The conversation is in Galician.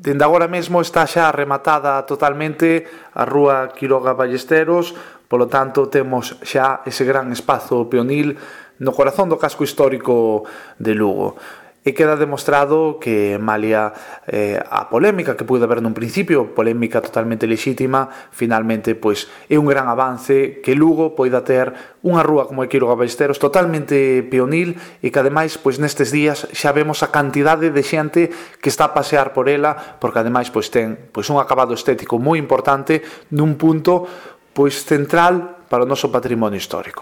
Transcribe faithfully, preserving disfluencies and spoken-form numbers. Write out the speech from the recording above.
Dende agora mesmo está xa rematada totalmente a rúa Quiroga Ballesteros, polo tanto temos xa ese gran espazo peonil no corazón do casco histórico de Lugo. E queda demostrado que, malia eh, a polémica que pude haber nun principio, polémica totalmente lexítima, finalmente pois é un gran avance que Lugo poida ter unha rúa como a Quiroga Ballesteros totalmente peonil e que ademais pois nestes días xa vemos a cantidade de xente que está a pasear por ela, porque ademais pois ten pois un acabado estético moi importante nun punto pois central para o noso patrimonio histórico.